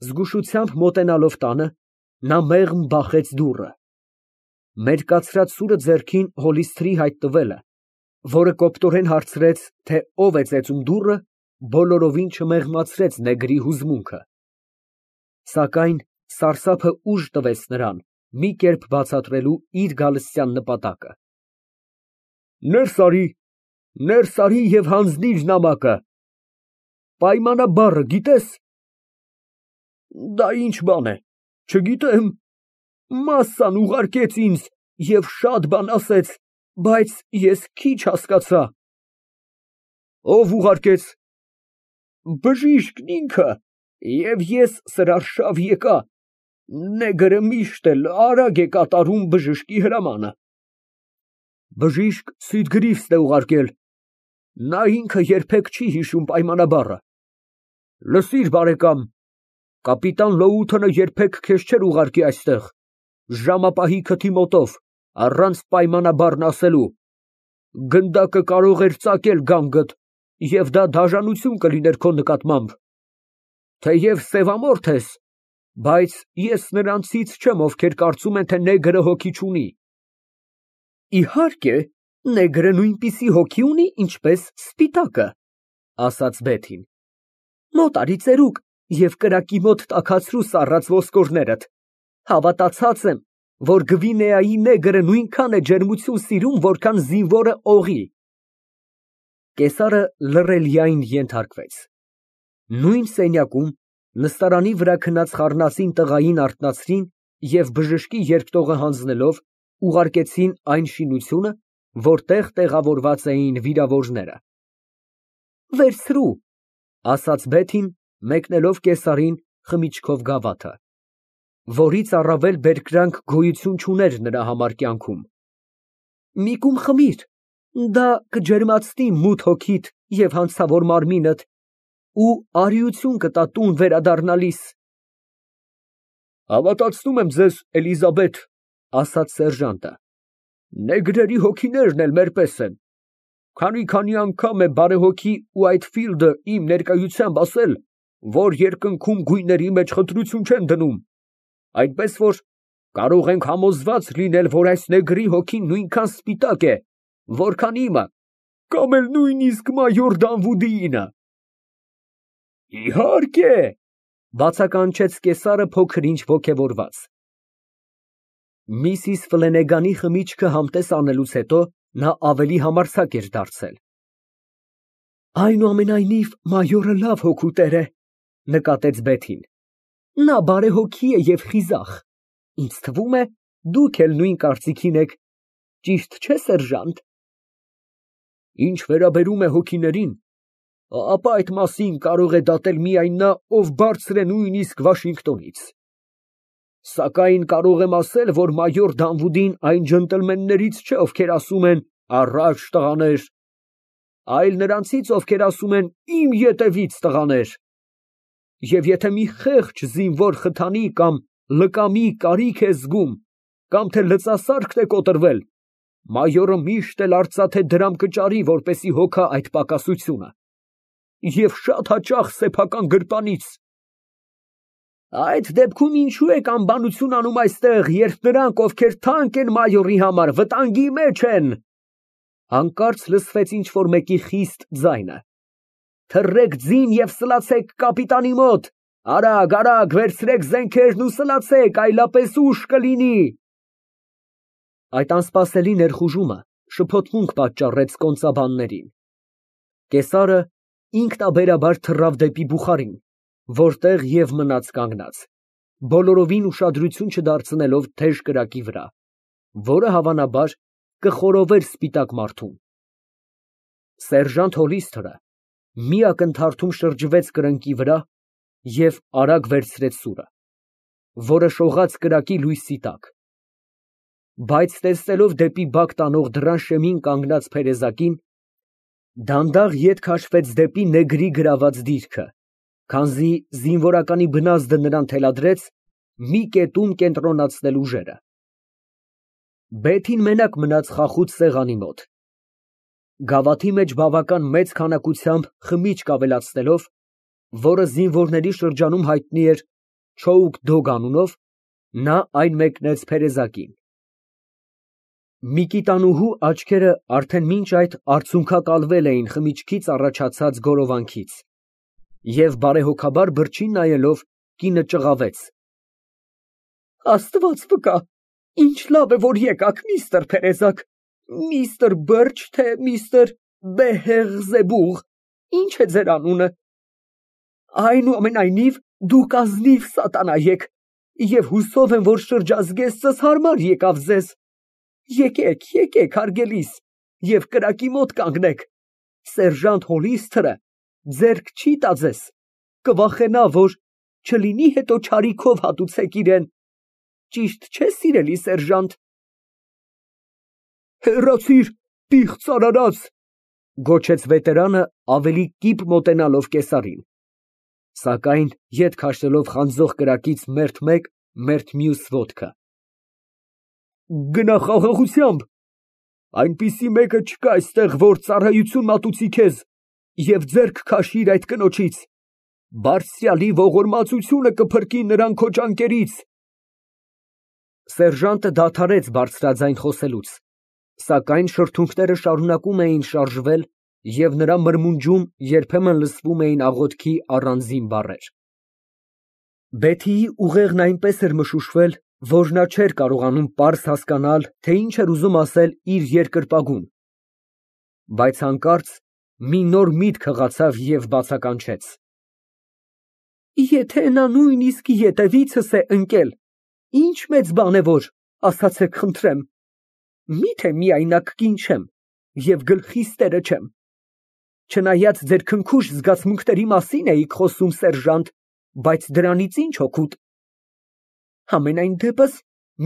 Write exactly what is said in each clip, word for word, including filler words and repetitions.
Զգուշությամբ մոտենալով տանը, նա մեղմ բախեց դուռը։ Մերկացրած սուրը ձեռքին հոլիսթրի հայտ տվելը, որը կոպտորեն հարցրեց, թե ով է ծեծում դուռը, բոլորովին չմեղմացրեց նեգրի հուզմունքը։ Սակայն սարսափը ուժ տվեց նրան մի կերպ բացատրելու իր գալստյան նպատակը։ Ներս արի, ներս արի և հանձնիր նամակը, պայմանաբառը գիտե՞ս։ Դա ինչ բան է, չգիտեմ, մասսան ուղարկեց ինձ և շատ բան ասեց, բայց ես քիչ հասկացա։ Ո՞վ ուղարկեց։ Բժիշկն ինքը, և ես սրարշավ եկա, նեգրը միշտ էլ արագ է կատարում բժշկի հրամանը։ Բժիշկ Սիդգրիվսն է ուղարկել, նա ինքը երբեք չի հիշում պայմանաբառը։ Լսիր, բարեկամ, կապիտան Լոութոնը երբեք քեզ չէր ուղարկի այստեղ, ժամապահի քթի մոտով, առանց պայմանաբառն ասելու, գնդակը կարող էր ծակել գանգդ, և դա դաժանություն կլիներ քո նկատմամբ, թեև սևամորթ ես, բայց ես նրանցից չեմ, ովքեր կարծում են, թե նեգրը հոգի չունի։ Իհարկե, նեգրը նույնպիսի հոգի ունի, ինչպես սպիտակը, ասաց Բեթին։ Մոտ արի ծերուկ և կրակի մոտ տաքացրու սառած ոսկորներդ, հավատացած եմ, որ Գվինեայի նեգրը նույնքան է ջերմություն սիրում, որքան զինվորը օղի։ Կեսարը լռելիային ենթարկվեց։ Նույն սենյակում նստարանի վրա քնած խառնածին տղային արթնացրին և բժշկի երկտողը հանձնելով ուղարկեցին այն շինությունը, որտեղ տեղավորված էին վիրավորները։ Վերցրու, ասաց Բեթին, մեկնելով կեսարին խմիչքով գավաթը, որից առավել բերկրանք գոյություն չուներ նրա համար կյանքում։ Մի կում խմիր, դա կջերմացնի մութ հոգիդ և հանցավոր մարմինդ ու արիություն կտա տուն վերադառնալիս։ Հավատացնում եմ ձեզ, Էլիզաբեթ, ասաց սերժանտը, նեգրերի հոգիներն էլ մեր պես են, քանի֊քանի անգամ է բարեհոգի Ուայթֆիլդը իմ ներկայությամբ ասել, որ երկնքում գույների մեջ խտրություն չեն դնում, այնպես որ կարող ենք համոզված լինել, որ այս նեգրի հոգին նույնքան սպիտակ է, որքան իմը, կամ էլ նույնիսկ մայոր Դանվուդիինը։ Իհարկե, բացականչեց կեսարը փոքր-ինչ ոգևորված։ Միսիս Ֆլենեգանի խմիչքը համտես անելուց հետո նա ավելի համարձակ էր դարձել։ Այնուամենայնիվ, մայորը լավ հոգու տեր է, նկատեց Բեթին։ Նա բարեհոգի է և խիզախ։ Ինձ թվում է, դուք էլ նույն կարծիքին եք, ճիշտ չէ՞, սերժանտ։ Ինչ վերաբերում է հոգիներին, ապա այդ մասին կարող է դատել միայն նա, ով բարձր է նույնիսկ Վաշինգտոնից։ Սակայն կարող եմ ասել, որ մայոր Դանվուդին այն ջենտլմեններից չէ, ովքեր ասում են «Առաջ, տղաներ», այլ նրանցից, ովքեր ասում են «Իմ ետևից, տղաներ»։ Եվ եթե մի խեղճ զինվոր խթանի կամ լկամի կարիք է զգում, կամ թե լծասարքն է կոտրվել, մայորը միշտ էլ արծաթե դրամ կճարի, որպեսզի հոգա այդ պակասությունը, և շատ հաճախ սեփական գրպանից։ Այդ դեպքում ինչո՞ւ եք անբանություն անում այստեղ, երբ նրանք, ովքեր թանկ են մայորի համար, վտանգի մեջ են։ Հանկարծ լսվեց ինչ֊որ մեկի խիստ ձայնը. Թռեք ձին և սլացեք կապիտանի մոտ, արագ, արագ, վերցրեք զենքերն ու սլացեք, այլապես ուժ կլինի։ Այդ անսպասելի ներխուժումը շփոթմունք պատճառեց կոնծաբաններին։ Կեսարը ինքնաբերաբար թռավ դեպի բուխարին, որտեղ և մնաց կանգնած, բոլորովին ուշադրություն չդարձնելով թեժ կրակի վրա, որը հավանաբար կխորովեր սպիտակ մարդուն։ Սերժանտ Հոլիսթերը մի ակնթարթում շրջվեց կրնկի վրա և արագ վերցրեց սուրը, որը շողաց կրակի լույսի տակ, բայց տեսնելով դեպի բակ տանող դռան շեմին կանգնած փերեզակին, դանդաղ ետ քաշվեց դեպի նեգրի գրաված դիրքը, քանզի զինվորականի բնազդը նրան թելադրեց մի կետում կենտրոնացնել ուժերը։ Բեթին մենակ մնաց խախուց սեղանի մոտ։ Գավաթի մեջ բավական մեծ քանակությամբ խմիչք ավելացնելով, որը զինվորների շրջանում հայտնի էր Չոուք֊Դոգ անունով, նա այն մեկնեց Փերեզակին։ Միկիտանուհու աչքերը արդեն մինչ այդ արցունքակալվել էին խմիչքից առաջացած գորովանքից, և բարեհոգաբար բրջին նայելով, կինը ճղավեց. Աստված վկա, ինչ լավ է, որ եկաք, միստր Փերեզակ, միստր Բըրջ, թե միստր Բեհեղզեբուղ, ինչ է ձեր անունը, այնուամենայնիվ, դուք ազնիվ սատանա եք, և հուսով եմ, որ շրջազգեստս հարմար եկավ ձեզ, եկեք, եկեք, հարգելիս, և կրակի մոտ կանգնեք, սերժանտ Հոլիստերը ձեռք չի տա ձեզ, կվախենա, որ չլինի հետո չարիքով հատուցեք իրան, ճիշտ չէ՞, սիրելի սերժանտ։ Հեռացիր, պիղծ արարած, գոչեց վետերանը ավելի կիպ մոտենալով կեսարին, սակայն ետ քաշելով խանձող կրակից մերթ մեկ, մերթ մյուս ոտքը։ Գնա խաղաղությամբ, այնպիսի մեկը չկա այստեղ, որ ծառայություն մատուցի քեզ և ձեռք քաշիր այդ կնոջից, բարձրյալի ողորմածությունը կփրկի նրան քո ճանկերից։ Սերժանտը դադարեց բարձրաձայն խոսելուց, սակայն շրթունքները շարունակում էին շարժվել և նրա մրմունջում երբեմն լսվում էին աղոթքի առանձին բառեր։ Բեթիի ուղեղն այնպես էր մշուշվել, որ նա չէր կարողանում պարզ հասկանալ, թե ինչ էր ուզում ասել իր երկրպագուն, բայց հանկարծ մի նոր միտք հղացավ և բացականչեց. Եթե նա նույնիսկ ետևիցս է ընկել, ինչ մեծ բան է, որ, ասացեք խնդրեմ, միթե միայնակ կին չեմ և գլխիս տերը չեմ, չնայած ձեր քնքուշ զգացմունքների մասին էիք խոսում, սերժանտ, բայց դրանից ինչ օգուտ։ Համենայն դեպս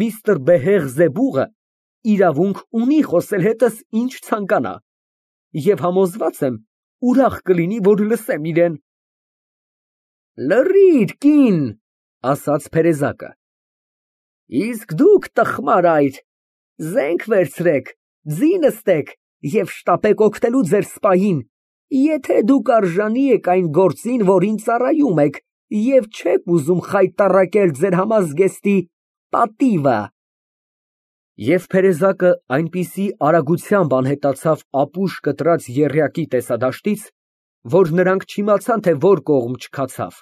միստր Բեհեղզեբուղը իրավունք ունի խոսել հետս ինչ ցանկանա, և համոզված եմ, ուրախ կլինի, որ լսեմ իրան։ Լռիր, կին, ասաց Փերեզակը, իսկ դուք, տխմար այր, զենք վերցրեք, ձի նստեք և շտապեք օգնելու ձեր սպային, եթե դուք արժանի եք այն գործին, որին ծառայում եք, և չեք ուզում խայտառակել ձեր համազգեստի պատիվը։ Եվ Փերեզակը այնպիսի արագությամբ անհետացավ ապուշ կտրած եռյակի տեսադաշտից, որ նրանք չիմացան, թե որ կողմ չքացավ։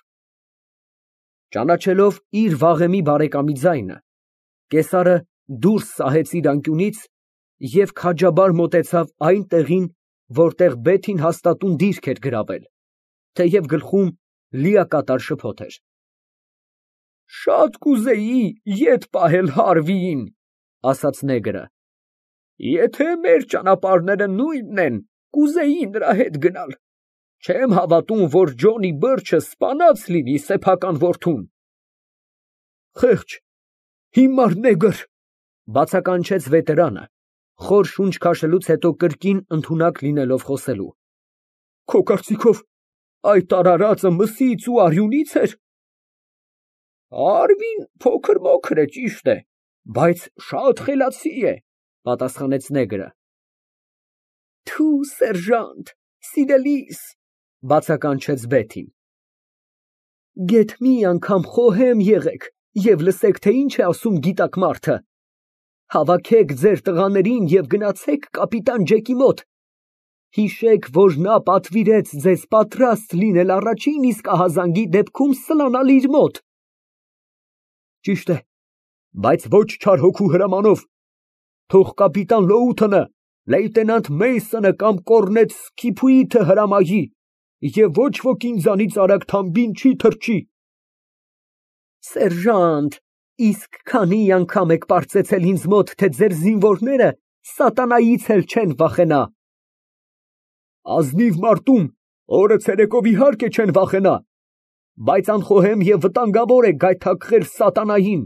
Ճանաչելով իր վաղեմի բարեկամի ձայնը, կեսարը դուրս սահեց իր անկյունից և քաջաբար մոտեցավ այն տեղին, որտեղ Բեթին հաստատուն դիրք էր գրավել, թեև գլխում լիակատար շփոթ էր։ Շատ կուզեի ետ պահել Հարվիին, ասաց նեգրը, եթե մեր ճանապարհները նույնն են, կուզեի նրա հետ գնալ, չեմ հավատում, որ Ջոնի Բըրջը սպանած լինի սեփական որդուն։ Խեղճ, հիմար նեգր, բացականչեց վետերանը, խոր շունչ քաշելուց հետո կրկին ընդունակ լինելով խոսելու, քո կարծիքով այդ արարածը մսից ու արյունի՞ց էր։ Հարվին փոքր֊մոքր է, ճիշտ է, բայց շատ խելացի է, պատասխանեց նեգրը։ Թու, սերժանտ, սիրելիս, բացականչեց Բեթին։ Գեթ մի անգամ խոհեմ եղեք և լսեք, թե ինչ է ասում գիտակ մարդը։ Հավաքեք ձեր տղաներին և գնացեք կապիտան Ջեկի մոտ։ Հիշեք, որ նա պատվիրեց ձեզ պատրաստ լինել առաջին իսկ ահազանգի դեպքում սլանալ իր մոտ։ Ճիշտ է, բայց ոչ չար հոգու հրամանով, թող կապիտան Լոութոնը, լեյտենանտ Մեյսոնը կամ կորնետ Սքիփութը հրամայի, և ոչ ոք ինձանից արագ թամբին չի թռչի։ Սերժանտ, իսկ քանի անգամ եք պարծեցել ինձ մոտ, թե ձեր զինվորները սատանայից էլ չեն վախենա։ Ազնիվ մարտում օրը ցերեկով իհարկե չեն վախենա, բայց անխոհեմ և վտանգավոր է գայթակղել սատանային,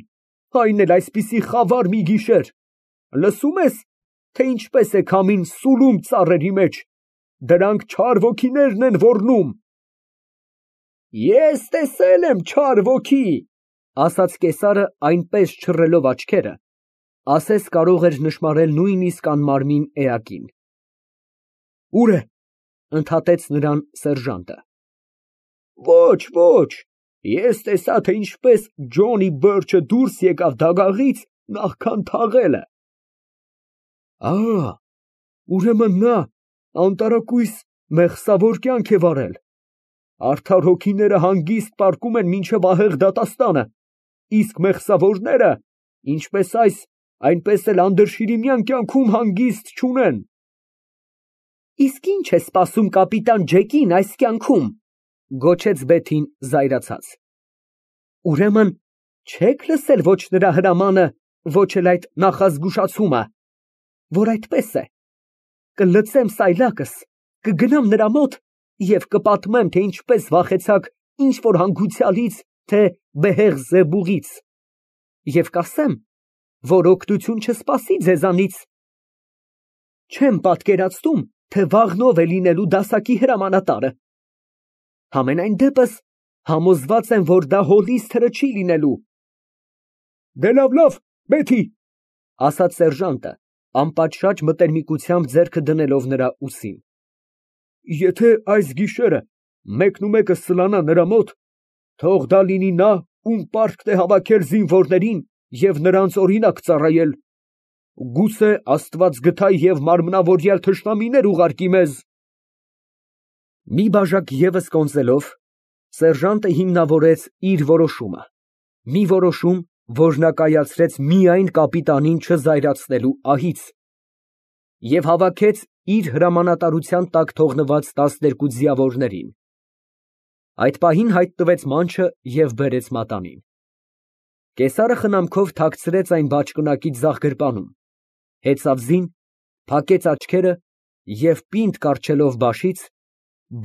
այն էլ այսպիսի խավար մի գիշեր, լսում ես, թե ինչպես է քամին սուլում ծառերի մեջ, դրանք չար ոգիներն են ոռնում։ Ես տեսել եմ չար ոգի, ասաց կեսարը այնպես չռելով աչքերը, ասես կարող էր նշմարել նույնիսկ անմարմին էակին։ Ո՞ւր է, ընդհատեց նրան սերժանտը։ Ոչ, ոչ, Ես տեսա, թե ինչպես Ջոնի Բըրջը դուրս եկավ դագաղից նախքան թաղելը։ Ա, ուրեմն նա անտարակույս մեղսավոր կյանք է վարել։ Արդար հոգիները հանգիստ պառկում են մինչև ահեղ դատաստանը, իսկ մեղսավորները, ինչպես այս, այնպես էլ անդրշիրիմյան կյանքում հանգիստ չունեն։ Իսկ ի՞նչ է սպասում կապիտան Ջեկին այս կյանքում, գոչեց Բեթին զայրացած։ Ուրեմն չեք լսել ոչ նրա հրամանը, ոչ էլ այդ նախազգուշացումը, որ այդպես է։ Կլցեմ սայլակս, կգնամ նրա մոտ և կպատմեմ, թե ինչպես վախեցաք ինչ որ հանգուցյալից, թե Բեհեղզեբուղից, և կասեմ, որ օգնություն չսպասի ձեզանից։ Չեմ պատկերացնում, թե վաղն ով է լինելու դասակի հրամանատարը։ Համենայն դեպս համոզված եմ, որ դա հոլիսթերը չի լինելու։ Դե լավ, լավ, Բեթի, ասաց սերժանտը, անպատշաճ մտերմիկությամբ ձեռքը դնելով նրա ուսին։ Եթե այս գիշերը մեկնումեկը սլանա նրա մոտ, թող դա լինի նա, ում պարտքն է հավաքել զինվորներին և նրանց օրինակ ծառայել։ Գուցե Աստված գթայ և մարմնավորյալ թշնամիներ ուղարկի մեզ։ Մի բաժակ ևս կոնծելով, սերժանտը հիմնավորեց իր որոշումը, մի որոշում, որ նա կայացրեց միայն կապիտանին չզայրացնելու ահից, և հավաքեց իր հրամանատարության տակ թողնված տասներկու ձիավորներին։ Այդ պահին հայտնվեց մանչը և բերեց մատանին։ Կեսարը խնամքով թաքցրեց այն բաճկոնակի ձախ գրպանում, հեծավ զին, փակեց աչքերը և պինդ կառչելով բաշից,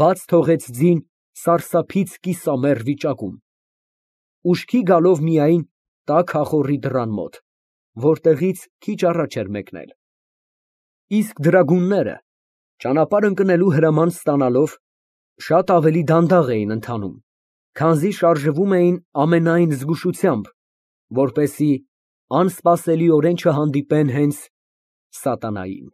բաց թողեց ձին սարսափից կիսամեռ վիճակում, ուշքի գալով միայն տաք ախոռի դռան մոտ, որտեղից քիչ առաջ էր մեկնել։ Իսկ դրագունները, ճանապարհ ընկնելու հրաման ստանալով, շատ ավելի դանդաղ էին ընթանում, քանզի շարժվում էին ամենայն զգուշությամբ, որպեսզի անսպասելիորեն չհանդիպեն հենց սատանային։